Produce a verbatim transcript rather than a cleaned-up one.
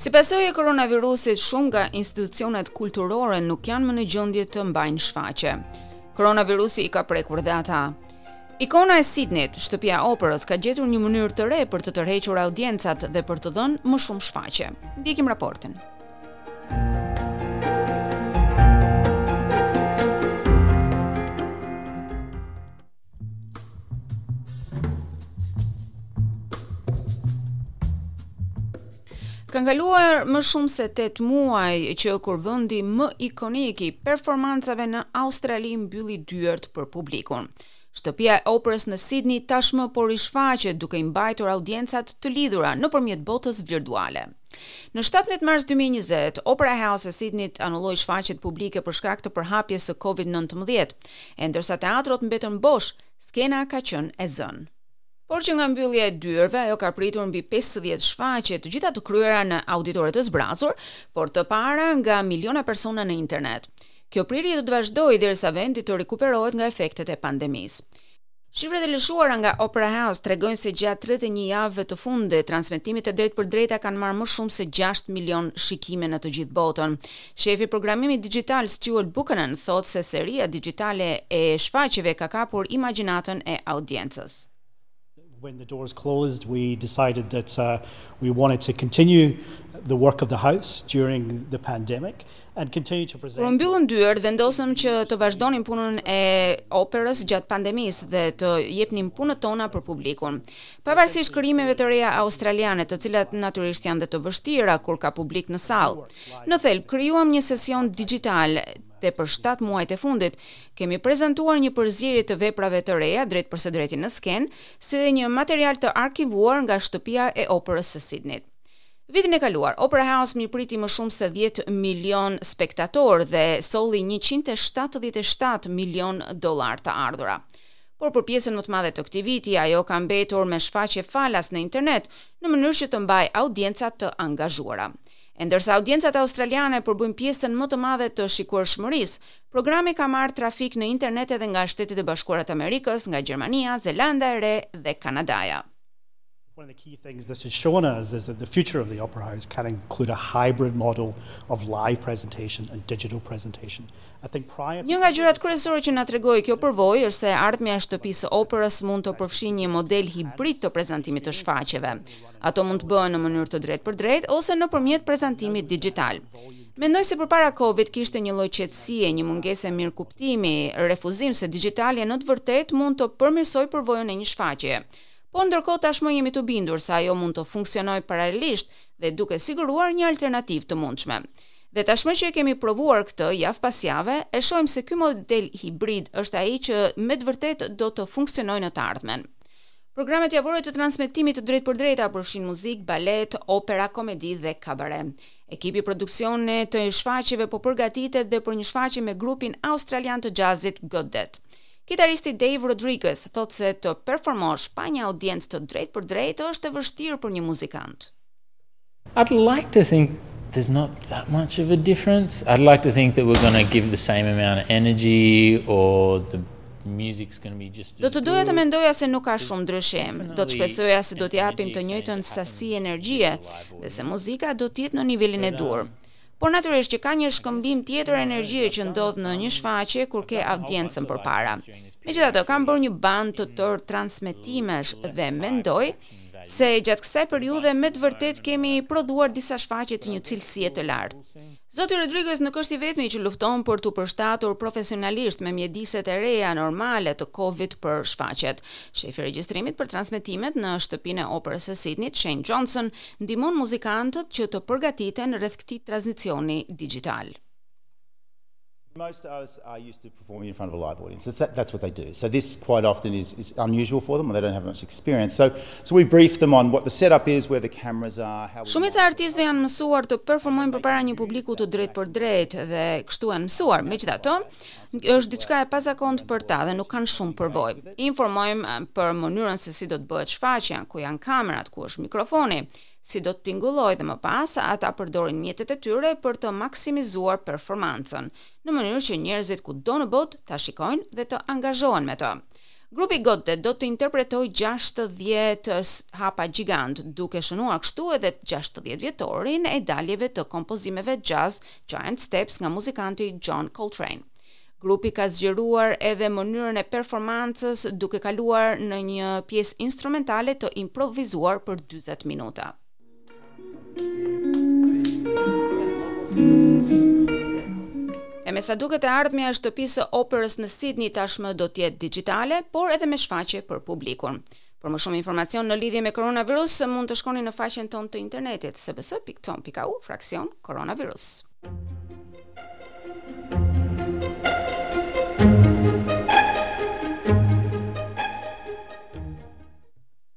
Si pasojë e koronavirusit, shumë nga institucionet kulturore nuk janë më në gjendje të mbajnë shfaqje. Koronavirusi i ka prekur dhe ata. Ikona e Sydneyt, shtëpia e operës, ka gjetur një mënyrë të re për të tërhequr audiencat dhe për të dhënë më shumë shfaqje. Ndjekim raportin. Kanë kaluar më shumë se tetë muaj që kur vendi më ikonik i performancave në Australi mbylli dyert për publikun. Shtëpia e operës në Sydney tashmë po rishfaqet duke i mbajtur audiencat të lidhura nëpërmjet botës virtuale. Në shtatëmbëdhjetë mars dy mijë e njëzet, Opera House e Sydneyt anulloi shfaqjet publike për shkak të përhapjes së Covid nëntëmbëdhjetë, e ndërsa teatrot mbetën bosh, skena ka qenë e zënë. Por që nga mbyllja e dyerve, ajo ka pritur mbi pesëdhjetë shfaqje, të gjitha të kryera në auditore të zbrazur, por të para nga miliona persona në internet. Kjo prirje do të vazhdojë derisa vendi të rikuperohet nga efektet e pandemisë. Shifrat e lëshuara nga Opera House tregojnë se gjatë tridhjetë e një javëve të fundit, transmetimet e drejtpërdrejta kanë marrë më shumë se gjashtë milion shikime në të gjithë botën. Shefi i programimit digital Stuart Buchanan thotë se seria digjitale e shfaqjeve ka kapur imagjinatën e audiencës. When the doors closed, we decided that, uh, we wanted to continue the work of the house during the pandemic and continue to present. Kur mbyllën dyert, vendosëm që të vazhdonim punën e operës gjatë pandemisë dhe të jepnim punët tona për publikun. Pavarësisht krijimeve të reja australiane, të cilat natyrisht janë dhe të vështira kur ka publik në sallë. Në thelb, krijuam një sesion digital dhe për shtatë muajt e fundit kemi prezantuar një përzierje të veprave të reja drejt për së drejti në skenë, si dhe një material të arkivuar nga shtëpia e operës së Sydneyt. Vitin e kaluar, Opera House mirëpriti më shumë se dhjetë milion spektatorë dhe solli njëqind e shtatëdhjetë e shtatë milion dollar të ardhura. Por për pjesën më të madhe të këtij viti, ajo ka mbetur me shfaqje falas në internet, në mënyrë që të mbajë audiencat të angazhuara. E ndërsa audiencat australiane përbëjnë pjesën më të madhe të shikueshmërisë, programi ka marrë trafik në internet edhe nga Shtetet e Bashkuara të Amerikës, nga Gjermania, Zelanda e Re dhe Kanadaja. One of the key things this has shown us is that the future of the Opera House can include a hybrid model of live presentation and digital presentation. I think prior to Një nga gjërat kryesore që na tregoi kjo përvojë është se ardhmja e shtëpisë së operës mund të përfshijë një model hibrid të prezantimit të shfaqjeve. Ato mund të bëhen në mënyrë të drejtë për drejtë ose nëpërmjet prezantimit digital. Mendoj se përpara Covid kishte një lloj qetësie, një mungesë mirëkuptimi, refuzim se digjitalja në të vërtetë mund të përmirësojë përvojën e një shfaqjeje. Por ndërkohë tashmë jemi të bindur se ajo mund të funksionojë paralelisht dhe duke siguruar një alternativë të mundshme. Dhe tashmë që e kemi provuar këtë javë pas jave, e shohim se ky model hibrid është ai që me të vërtetë do të funksionojë në të ardhmen. Programet javore të transmetimit të drejtpërdrejta përfshin muzikë, balet, opera, komedi dhe kabare. Ekipi i produksionit të shfaqjeve po përgatitet dhe për një shfaqje me grupin australian të jazzit Gotdet. Kitaristi Dave Rodriguez thotë se të performosh pa një audiencë të drejtë për drejtë është e vështirë për një muzikant. I'd like to think there's not that much of a difference. I'd like to think that we're gonna give the same amount of energy or the music's gonna be just Do as të doja të good. mendoja se nuk ka shumë ndryshim. Definitely Do të shpresoja se do t'i an japim të energy njëjtën exchange that sasi happens energjie with the live dhe se audience. muzika do të jetë në nivelin e But, duhur. um, Por natyrisht që ka një shkëmbim tjetër energjie që ndodh në një shfaqje kur ke audiencën përpara. Megjithatë, kam bërë një band të tërë transmetimesh dhe mendoj se gjatë kësaj periudhe me të vërtetë kemi prodhuar disa shfaqje të një cilësie të lartë. Zoti Rodriguez nuk është i vetmi që lufton për t'u përshtatur profesionalisht me mjediset e reja normale të Covid për shfaqjet. Shefi i regjistrimit për transmetimet në shtëpinë e operës së Sydneyt, Shane Johnson, ndihmon muzikantët që të përgatiten rreth këtij tranzicioni digital. Most artists are used to performing in front of a live audience. That's, that, that's what they do. So this quite often is, is unusual for them, or they don't have much experience. So, so we brief them on what the setup is, where the cameras are, how we Shumica e artistëve janë mësuar të performojnë përpara një publiku të drejtë për drejtë dhe kështu janë mësuar. Megjithatë, është diçka e pazakontë për ta dhe nuk kanë shumë përvojë. I informojmë, eh, për mënyrën se si do të bëhet shfaqja, ku janë kamerat, ku është mikrofoni, si do të tingullojë dhe më pas ata përdorin mjetet e tyre për të maksimizuar performancën, në mënyrë që njerëzit kudo në botë ta shikojnë dhe të angazhohen me të. Grupi Gottdet do të interpretojë gjashtëdhjetë hapa gjigant, duke shënuar kështu edhe gjashtëdhjetë vjetorin e daljeve të kompozimeve jazz Giant Steps nga muzikanti John Coltrane. Grupi ka zgjeruar edhe mënyrën e performancës, duke kaluar në një pjesë instrumentale të improvizuar për dyzet minuta. E me sa duket, e ardhmja e shtëpisë së operës në Sydney tashmë do të jetë digjitale, por edhe me shfaqje për publikun. Për më shumë informacion në lidhje me koronavirus, mund të shkoni në faqen tonë të internetit sbs pikë com pikë au fraksion koronavirus.